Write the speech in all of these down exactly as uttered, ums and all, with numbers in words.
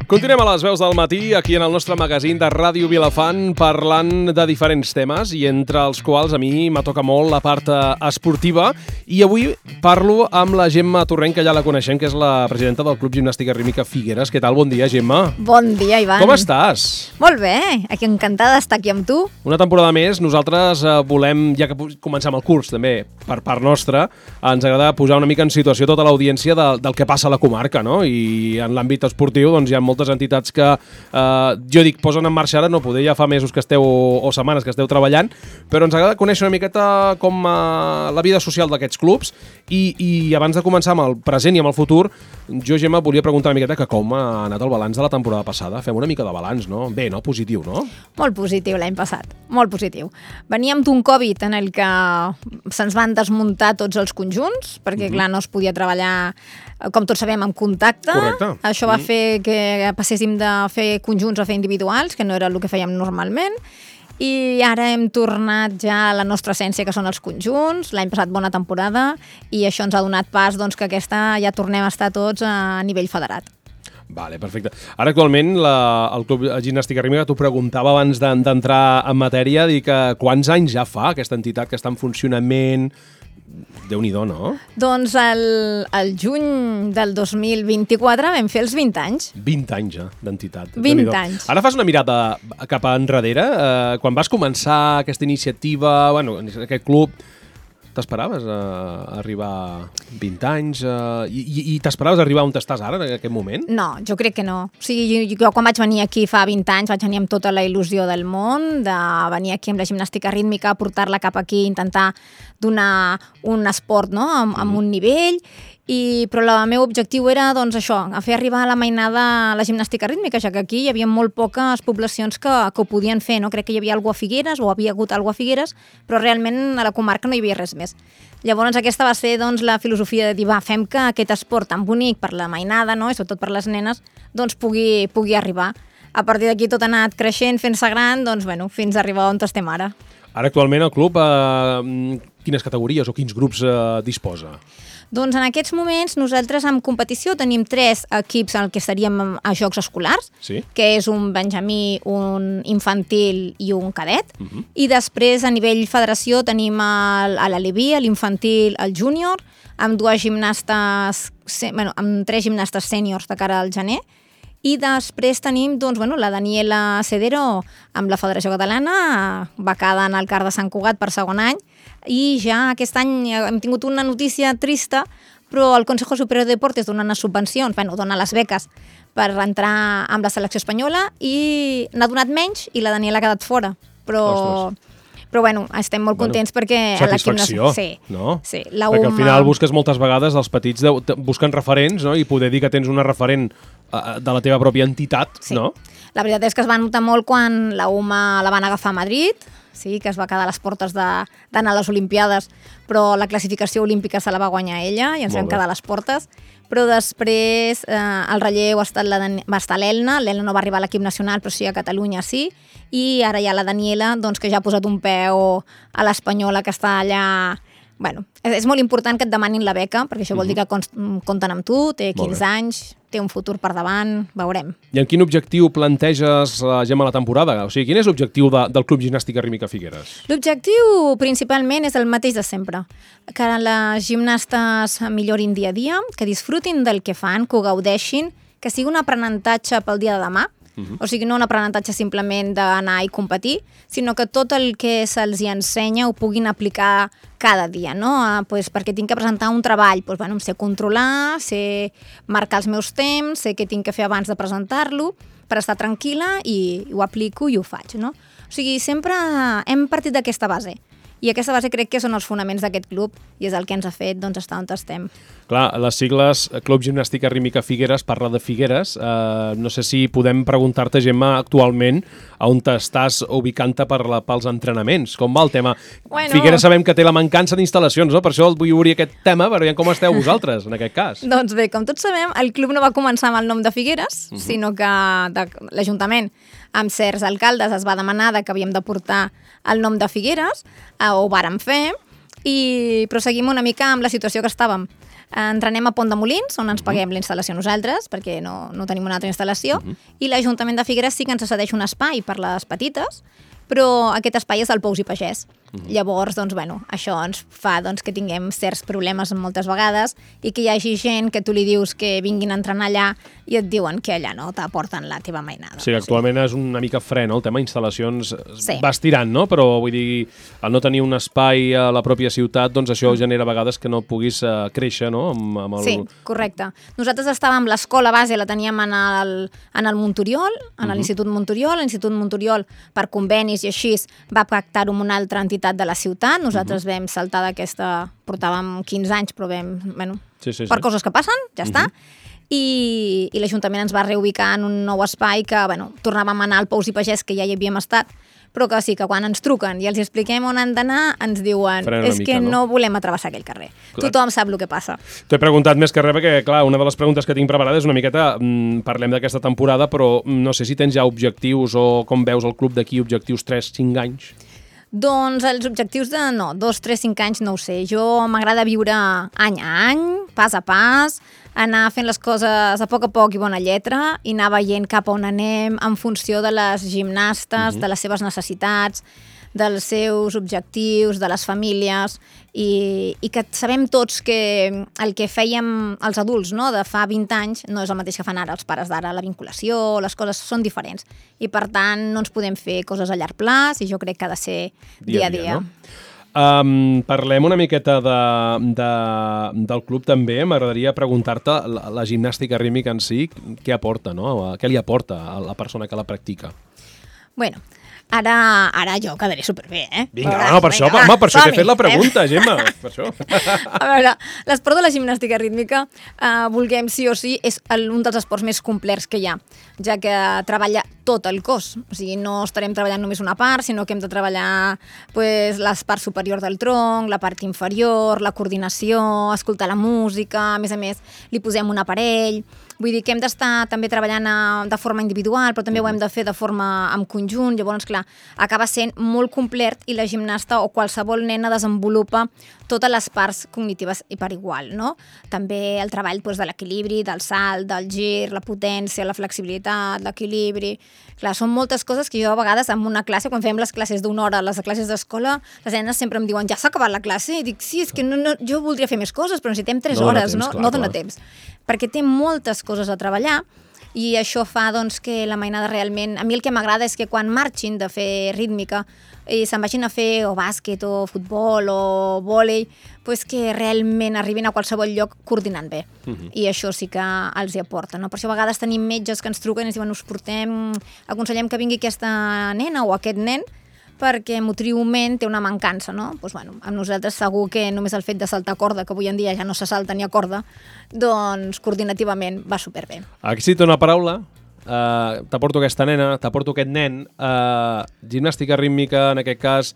Continuem a les veus del matí, aquí en el nostre magazín de Ràdio Vilafant, parlant de diferents temes, i entre els quals a mi m'atoca molt la part esportiva, i avui parlo amb la Gemma Torrent, que ja la coneixem, que és la presidenta del Club Gimnàstica Rítmica Figueres. Què tal? Bon dia, Gemma. Bon dia, Ivan. Com estàs? Molt bé, aquí encantada d'estar aquí amb tu. Una temporada més, nosaltres eh, volem, ja que comencem el curs també, per part nostra, ens agrada posar una mica en situació tota l'audiència de, del que passa a la comarca, no? I en l'àmbit esportiu doncs, hi ha moltes entitats que, eh, jo dic, posen en marxa ara, no poder, ja fa mesos que esteu, o setmanes que esteu treballant, però ens agrada conèixer una miqueta com eh, la vida social d'aquests clubs, i, i abans de començar amb el present i amb el futur, jo, Gemma, volia preguntar una miqueta que com ha anat el balanç de la temporada passada. Fem una mica de balanç, no? Bé, no? Positiu, no? Molt positiu l'any passat, molt positiu. Veníem d'un Covid en el que se'ns van desmuntar tots els conjunts, perquè, mm-hmm. clar, no es podia treballar, com tots sabem, amb contacte. Correcte. Això va mm. fer que passéssim de fer conjunts a fer individuals, que no era el que fèiem normalment, i ara hem tornat ja a la nostra essència, que són els conjunts. L'any passat bona temporada, i això ens ha donat pas doncs, que aquesta ja tornem a estar tots a nivell federat. Vale, perfecte. Ara actualment la, el Club Gimnàstica Rítmica, t'ho preguntava abans d'entrar en matèria, dir que quants anys ja fa aquesta entitat que està en funcionament? Déu-n'hi-do, no? Doncs el, el juny del dos mil vint-i-quatre vam fer els vint anys. vint anys ja d'entitat. vint anys. Ara fas una mirada cap a enrere. Eh, quan vas començar aquesta iniciativa, bueno, aquest club, t'esperaves a arribar a vint anys? Uh, I i t'esperaves arribar on estàs ara, en aquest moment? No, jo crec que no. O sigui, jo, jo quan vaig venir aquí fa vint anys vaig venir amb tota la il·lusió del món, de venir aquí amb la gimnàstica rítmica, portar-la cap aquí, intentar donar un esport, no?, amb, amb un nivell, i, però el meu objectiu era doncs, això, a fer arribar a la mainada la gimnàstica rítmica, ja que aquí hi havia molt poques poblacions que, que ho podien fer, no? Crec que hi havia alguna a Figueres, o havia hagut alguna a Figueres, però realment a la comarca no hi havia res més. Llavors aquesta va ser doncs, la filosofia de dir, va, fem que aquest esport tan bonic per la mainada, no?, i sobretot per les nenes, doncs pugui, pugui arribar. A partir d'aquí tot ha anat creixent, fent-se gran, doncs, bueno, fins a arribar on estem ara. Ara actualment el club, eh, quines categories o quins grups eh, disposa? Doncs en aquests moments nosaltres en competició tenim tres equips en el que estaríem a Jocs Escolars, sí? Que és un benjamí, un infantil i un cadet, uh-huh. I després a nivell federació tenim el, a l'Aleví, l'infantil, el júnior, amb dues gimnastes, bueno, amb tres gimnastes sèniors de cara al gener, i després tenim doncs, bueno, la Daniela Cedero amb la Federació Catalana, becada en el CAR de Sant Cugat per segon any, i ja aquest any hem tingut una notícia trista, però el Consejo Superior de Deportes dona unes subvencions, bueno, dona les beques per entrar amb la selecció espanyola, i n'ha donat menys i la Daniela ha quedat fora. Però... Ostres. Però bueno, estem molt contents bueno, perquè... Satisfacció, a sí, no? Sí, la perquè U M A... al final busques moltes vegades, els petits de, busquen referents, no? I poder dir que tens una referent uh, de la teva pròpia entitat, sí. No? La veritat és que es va notar molt quan la U M A la van agafar a Madrid, sí, que es va quedar a les portes d'anar a les Olimpiades, però la classificació olímpica se la va guanyar ella i ens vam quedar a les portes. Però després eh, el relleu ha estat la, va estar l'Elna, l'Elna no va arribar a l'equip nacional, però sí a Catalunya sí, i ara hi ha la Daniela, doncs, que ja ha posat un peu a l'espanyola, que està allà... Bueno, és, és molt important que et demanin la beca, perquè això vol dir que compten amb tu, té quinze anys, té un futur per davant, veurem. I en quin objectiu planteges, uh, Gemma, la temporada? O sigui, quin és l'objectiu de, del Club Gimnàstica Rítmica Figueres? L'objectiu principalment és el mateix de sempre, que les gimnastes millorin dia a dia, que disfrutin del que fan, que ho gaudeixin, que sigui un aprenentatge pel dia de demà, uh-huh. O sigui, no un aprenentatge simplement d'anar i competir, sinó que tot el que se'ls ensenya ho puguin aplicar cada dia, no? Ah, pues perquè tinc que presentar un treball, pues, bueno, em sé controlar, sé marcar els meus temps, sé què tinc que fer abans de presentar-lo, per estar tranquil·la, i ho aplico i ho faig, no? O sigui, sempre hem partit d'aquesta base. I aquesta base crec que són els fonaments d'aquest club i és el que ens ha fet doncs, estar on estem. Clar, les sigles Club Gimnàstica Rítmica Figueres parla de Figueres. Uh, no sé si podem preguntar-te, Gemma, actualment a on t'estàs ubicant-te per la, pels entrenaments. Com va el tema? Bueno, Figueres sabem que té la mancança d'instal·lacions, no? Per això vull obrir aquest tema, per veure com esteu vosaltres, en aquest cas. Doncs bé, com tots sabem, el club no va començar amb el nom de Figueres, uh-huh. sinó que de, l'Ajuntament, amb certs alcaldes, es va demanar que havíem de portar el nom de Figueres, eh, ho vàrem fer, i proseguim una mica amb la situació que estàvem. entrenem a Pont de Molins, on ens paguem l'instal·lació nosaltres, perquè no, no tenim una altra instal·lació, uh-huh. i l'Ajuntament de Figueres sí que ens cedeix un espai per les petites, però aquest espai és del Pous i Pagès. Uh-huh. Llavors, doncs, bueno, això ens fa doncs, que tinguem certs problemes moltes vegades i que hi hagi gent que tu li dius que vinguin a entrenar allà i et diuen que allà no t'aporten la teva mainada. Sí, actualment sí. és una mica fre, no? El tema instal·lacions sí. va estirant, no? Però vull dir, al no tenir un espai a la pròpia ciutat, doncs això genera a vegades que no puguis uh, créixer, no? Amb, amb el... Sí, correcte. Nosaltres estàvem, l'escola base la teníem en el, en el Montoriol, en uh-huh. l'Institut Montoriol. L'Institut Montoriol, per convenis i així, va pactar-ho amb una altra entitat de la ciutat. Nosaltres uh-huh. vam saltar d'aquesta... Portàvem quinze anys, però vam... Bueno, sí, sí, sí. per coses que passen, ja uh-huh. està. I, i l'Ajuntament ens va reubicar en un nou espai que, bueno, tornàvem a anar al Pous i Pagès, que ja hi havíem estat, però que sí, que quan ens truquen i els expliquem on han d'anar, ens diuen és mica, que no? no volem atravessar aquell carrer. Clar. Tothom sap el que passa. T'ho he preguntat més que res perquè, clar, una de les preguntes que tinc preparada és una miqueta, mm, parlem d'aquesta temporada, però no sé si tens ja objectius o com veus el club d'aquí, objectius tres cinc anys? Doncs els objectius de, no, dos, tres, cinc anys no ho sé. Jo m'agrada viure any a any, pas a pas, anar fent les coses a poc a poc i bona lletra i anar veient cap a on anem en funció de les gimnastes, uh-huh. de les seves necessitats, dels seus objectius, de les famílies i, i que sabem tots que el que fèiem els adults, no?, de fa vint anys no és el mateix que fan ara els pares d'ara. La vinculació, les coses són diferents i per tant no ens podem fer coses a llarg plaç i jo crec que ha de ser dia a dia. dia, no? Um, parlem una miqueta de, de, del club també. M'agradaria preguntar-te la, la gimnàstica rítmica en si, què aporta, no? Què li aporta a la persona que la practica? Bueno, Ara, ara jo quedaré superbé, eh? Vinga, Veuràs, no, per això, vinga, home, per això t'he fet la pregunta, eh? Gemma, per això. A veure, l'esport de la gimnàstica rítmica, eh, vulguem sí o sí, és el, un dels esports més complets que hi ha, ja que treballa tot el cos. O sigui, no estarem treballant només una part, sinó que hem de treballar pues, la part superior del tronc, la part inferior, la coordinació, escoltar la música, a més a més li posem un aparell. Vull dir que hem d'estar també treballant a, de forma individual, però també ho hem de fer de forma en conjunt. Llavors, clar, acaba sent molt complet i la gimnasta o qualsevol nena desenvolupa totes les parts cognitives i per igual, no? També el treball doncs, de l'equilibri, del salt, del gir, la potència, la flexibilitat, l'equilibri. Clar, són moltes coses que jo a vegades en una classe, quan fem les classes d'una hora, les classes d'escola, les nenes sempre em diuen, ja s'ha acabat la classe? I dic, sí, és que no, no, jo voldria fer més coses, però necessitem tres no hores, temps, no? Clar, no dona clar. temps. Perquè té moltes coses a treballar i això fa doncs, que la mainada realment... A mi el que m'agrada és que quan marxin de fer rítmica i se'n vagin a fer o bàsquet o futbol o vòlei, pues que realment arribin a qualsevol lloc coordinant bé. Uh-huh. I això sí que els hi aporta. No? Per això a vegades tenim metges que ens truquen i ens diuen us portem, aconsellem que vingui aquesta nena o aquest nen perquè motriument té una mancança, no? Doncs, bueno, amb nosaltres segur que només el fet de saltar corda, que avui en dia ja no se salta ni a corda, doncs coordinativament va superbé. Aquí sí, una paraula. Uh, t'aporto aquesta nena, t'aporto aquest nen. Uh, gimnàstica rítmica, en aquest cas,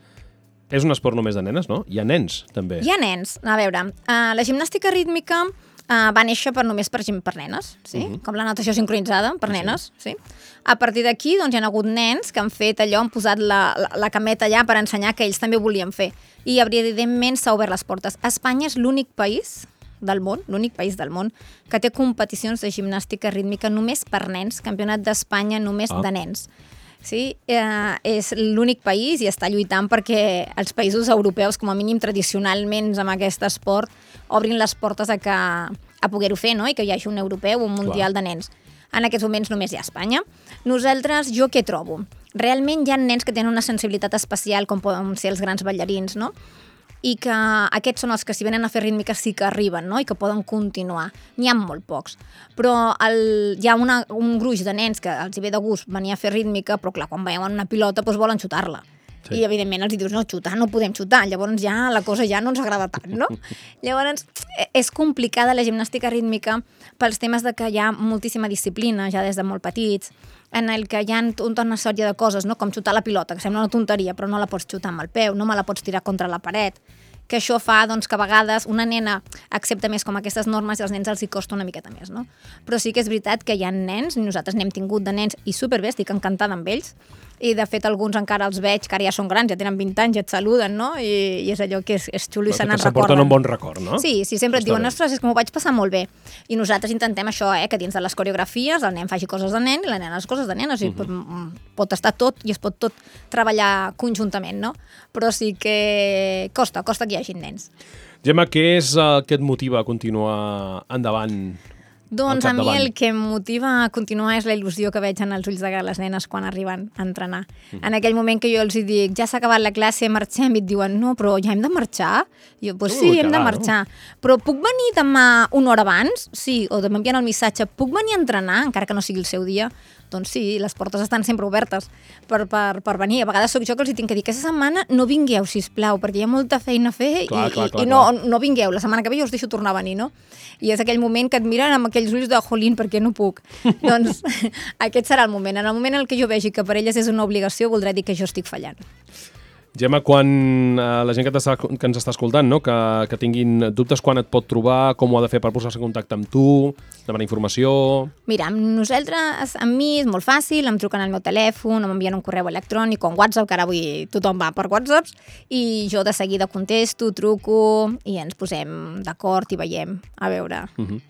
és un esport només de nenes, no? Hi ha nens, també. Hi ha nens. A veure, uh, la gimnàstica rítmica Uh, va néixer per només per, per nenes, sí? Uh-huh. Com la natació sincronitzada, per nenes. Sí. Sí? A partir d'aquí doncs, hi ha hagut nens que han fet allò, han posat la, la, la cameta allà per ensenyar que ells també volien fer. I evidentment s'ha obert les portes. Espanya és l'únic país del món, l'únic país del món, que té competicions de gimnàstica rítmica només per nens, campionat d'Espanya només ah. de nens. Sí, eh, és l'únic país i està lluitant perquè els països europeus, com a mínim tradicionalment amb aquest esport, obrin les portes a, que, a poder-ho fer, no? I que hi hagi un europeu o un mundial Clar. de nens. En aquests moments només hi ha Espanya. Nosaltres, jo què trobo? Realment hi ha nens que tenen una sensibilitat especial, com poden ser els grans ballarins, no? I que aquests són els que si venen a fer rítmica sí que arriben, no? I que poden continuar. N'hi ha molt pocs. Però el, hi ha una, un gruix de nens que els hi ve de gust venir a fer rítmica, però clar, quan veuen una pilota doncs volen xutar-la. Sí. I evidentment els dius, no, xutar no podem xutar, llavors ja la cosa ja no ens agrada tant, no? Llavors és complicada la gimnàstica rítmica pels temes de que hi ha moltíssima disciplina, ja des de molt petits, en el que hi ha tota una sèrie de coses, no? Com xutar la pilota, que sembla una tonteria, però no la pots xutar amb el peu, no me la pots tirar contra la paret, que això fa doncs, que a vegades una nena accepta més com aquestes normes i als nens els hi costa una miqueta més, no? Però sí que és veritat que hi ha nens, i nosaltres n'hem tingut de nens, i superbé, estic encantada amb ells, i de fet alguns encara els veig, que ara ja són grans, ja tenen vint anys, ja et saluden, no? I, i és allò que és, és xulo i se n'en recorden. Que s'aporten un bon record, no? Sí, sí, sempre et diuen, ostres, és que m'ho vaig passar molt bé. I nosaltres intentem això, eh, que dins de les coreografies el nen faci coses de nen i la nena les coses de nena, o sigui, uh -huh. pot, pot estar tot i es pot tot treballar conjuntament, no? Però sí que costa, costa que hi hagi nens. Gemma, què és el que et motiva a continuar endavant? Doncs a mi el que em motiva a continuar és la il·lusió que veig en els ulls de les nenes quan arriben a entrenar. Mm. En aquell moment que jo els dic, ja s'ha acabat la classe, marxem, i et diuen, no, però ja hem de marxar? I jo, doncs sí, hem de marxar. Però puc venir demà una hora abans? Sí, o m'envien el missatge, puc venir a entrenar, encara que no sigui el seu dia? Doncs sí, les portes estan sempre obertes per, per, per venir. A vegades sóc jo que els hi tinc que dir aquesta setmana no vingueu, sisplau, perquè hi ha molta feina a fer clar, i, clar, i, clar, i no, no vingueu. La setmana que ve jo us deixo tornar a venir, no? I és aquell moment que et miren amb aquells ulls de jolín, perquè no puc. Doncs aquest serà el moment. En el moment en què jo vegi que per elles és una obligació, voldrà dir que jo estic fallant. Gemma, quan eh, la gent que, que ens està escoltant, no? que, que tinguin dubtes, quan et pot trobar, com ho ha de fer per posar-se en contacte amb tu, demanar informació... Mira, amb nosaltres, amb mi és molt fàcil, em truquen al meu telèfon, m'envien un correu electrònic o un WhatsApp, que ara avui tothom va per WhatsApps, i jo de seguida contesto, truco i ens posem d'acord i veiem, a veure... Uh-huh.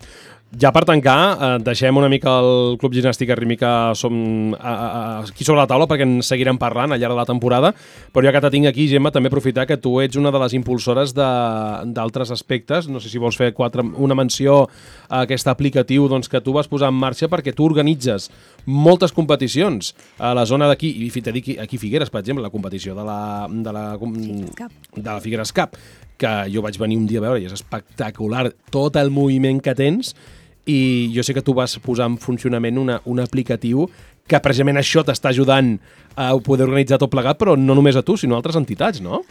Ja per tancar, eh, deixem una mica el Club Ginàstica Rítmica som, a, a, aquí sobre la taula perquè en seguirem parlant al llarg de la temporada, però ja que te tinc aquí, Gemma, també aprofitar que tu ets una de les impulsores d'altres aspectes. No sé si vols fer quatre, una menció a aquest aplicatiu doncs, que tu vas posar en marxa perquè tu organitzes moltes competicions a la zona d'aquí, i t'he dit aquí Figueres, per exemple, la competició de la, de la, de la Figueres Cup, que jo vaig venir un dia a veure i és espectacular tot el moviment que tens. I jo sé que tu vas posar en funcionament una, un aplicatiu que precisament això t'està ajudant a poder organitzar tot plegat, però no només a tu, sinó a altres entitats, no?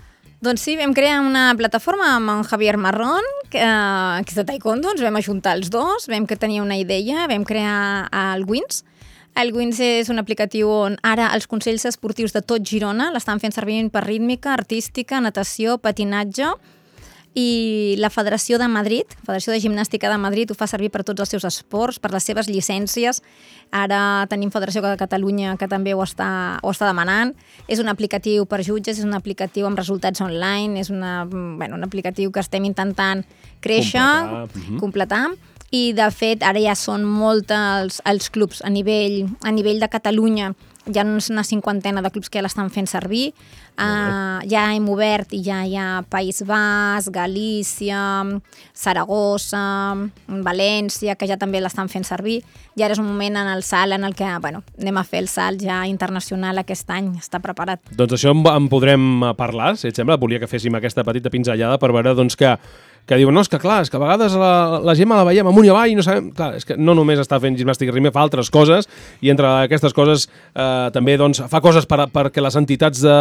Doncs sí, vam crear una plataforma amb en Javier Marrón, que, que és de taekwondo, ens vam ajuntar els dos, vam que tenia una idea, vam crear el Wins. El Wins és un aplicatiu on ara els consells esportius de tot Girona l'estan fent servir per rítmica, artística, natació, patinatge, i la Federació de Madrid, Federació de Gimnàstica de Madrid, ho fa servir per tots els seus esports, per les seves llicències. Ara tenim Federació de Catalunya que també ho està, ho està demanant. És un aplicatiu per jutges, és un aplicatiu amb resultats online, és una, bueno, un aplicatiu que estem intentant créixer, completar, completar. I de fet ara ja són molts els, els clubs a nivell, a nivell de Catalunya. Hi ha una cinquantena de clubs que ja l'estan fent servir. Uh, ja hem obert i ja hi ha País Basc, Galícia, Saragossa, València, que ja també l'estan fent servir. I ara és un moment en el salt en el que bueno, anem a fer el salt ja internacional aquest any, està preparat. Doncs això en podrem parlar, si et sembla. Volia que féssim aquesta petita pinzellada per veure doncs, que que diuen, no, és que clar, és que a vegades la, la Gemma la veiem amunt i avall i no sabem... Clar, és que no només està fent gimnàstica rítmica, fa altres coses i entre aquestes coses eh, també doncs, fa coses per, perquè les entitats de,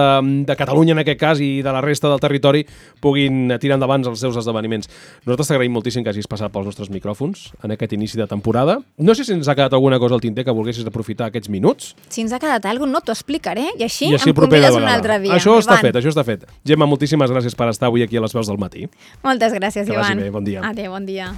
de Catalunya, en aquest cas, i de la resta del territori puguin tirar endavant els seus esdeveniments. Nosaltres t'agraïm moltíssim que hagis passat pels nostres micròfons en aquest inici de temporada. No sé si ens ha quedat alguna cosa al tinter que volguessis aprofitar aquests minuts. Si ens ha quedat alguna cosa, no t'ho explicaré i així, I així em convides un altre dia. Això està Ivan. fet, això està fet. Gemma, moltíssimes gràcies per estar avui aquí a les veus del matí. Moltes gràcies, que Ivan. Que vagi bé, bon dia. Adéu, bon dia.